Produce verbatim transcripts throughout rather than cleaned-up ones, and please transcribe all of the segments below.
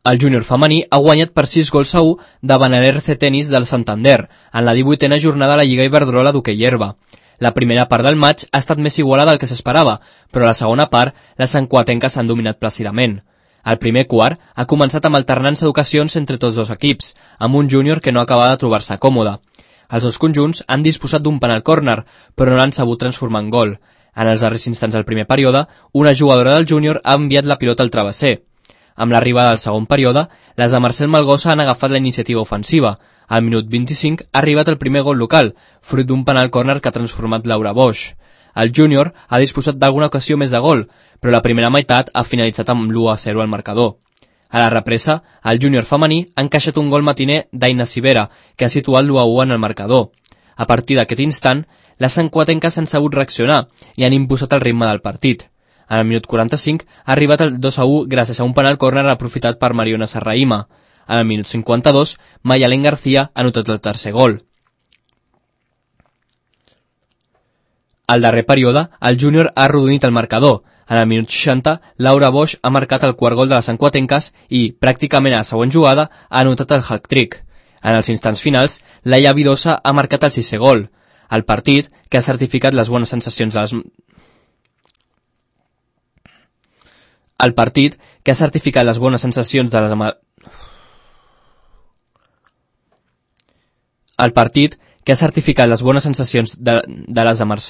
El júnior femení ha guanyat per sis gols a u davant l'R C Tenis del Santander en la divuitena jornada de la Lliga Iberdrola d'hoquei herba. La primera part del maig ha estat més igualada del que s'esperava, però a la segona part les santcuatenques s'han dominat plàcidament. El primer quart ha començat amb alternança d'ocasions entre tots dos equips, amb un júnior que no acabava de trobar-se còmode. Els dos conjunts han disposat d'un penal córner, però no l'han sabut transformar en gol. En els darrers instants del primer període, una jugadora del júnior ha enviat la pilota al travesser. Amb l'arribada del segon període, les de Marcel Malgosa han agafat la iniciativa ofensiva. Al minut vint-i-cinc ha arribat el primer gol local, fruit d'un penal córner que ha transformat Laura Bosch. El júnior ha disposat d'alguna ocasió més de gol, però la primera meitat ha finalitzat amb l'u a zero al marcador. A la represa, el júnior femení ha encaixat un gol matiner d'Aina Civera, que ha situat l'u a u en el marcador. A partir d'aquest instant, les santcuatenques han sabut reaccionar i han imposat el ritme del partit. En el minut quaranta-cinc ha arribat el dos a u gràcies a un penal córner aprofitat per Mariona Serraïma. En el minut cinquanta-dos, Mayalén García ha anotat el tercer gol. Al darrer període, el júnior ha arrodonit el marcador. En el minut seixanta, Laura Bosch ha marcat el quart gol de les santcuatenques i, pràcticament a la següent jugada, ha anotat el hat-trick. En els instants finals, Laia Vidosa ha marcat el sisè gol. El partit, que ha certificat les bones sensacions de les... El partit, que ha certificat les bones sensacions de les... El partit, que ha certificat les bones sensacions de, de les amars...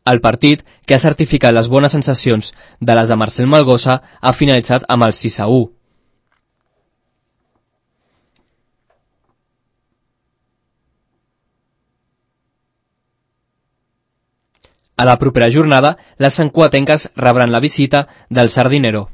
El partit, que ha certificat les bones sensacions de les de Marcel Malgosa, ha finalitzat amb el sis a u. A la propera jornada, les santcuatenques rebran la visita del Sardinero.